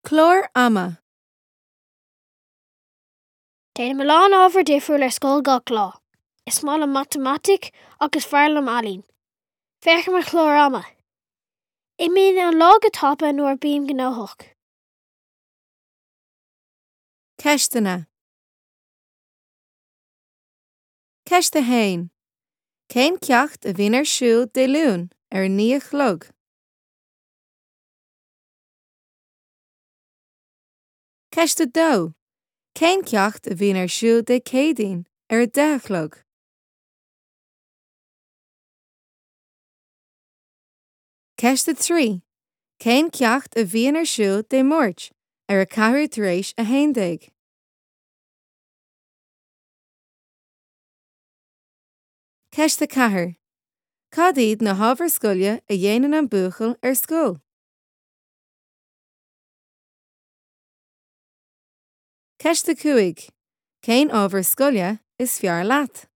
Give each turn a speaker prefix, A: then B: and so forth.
A: Clár ama.
B: Déanaim a lán ábhar difriúil ar scoil gach lá. Is maith liom matamaitic ach is fearr liom ealaín. Féach ar mo chlár ama. Imíonn an lá go tapa nuair a bím gnóthach.
A: Ceisteanna. Ceist 1. Cén ceacht a bhíonn ar siúl Dé Luain ar a 9 a chlog? Ceist 2. Cén ceacht a bhíonn ar siúl Dé Céadaoin ar a 10 a chlog? Ceist 3. Cén ceacht a bhíonn ar siúl Dé Máirt ar a ceathrú tar éis a 11? Ceist 4. Cad iad na hábhair scoile a dhéanann an buachaill ar scoil? Ceist 5. Cén ábhar scoile is fearr leat?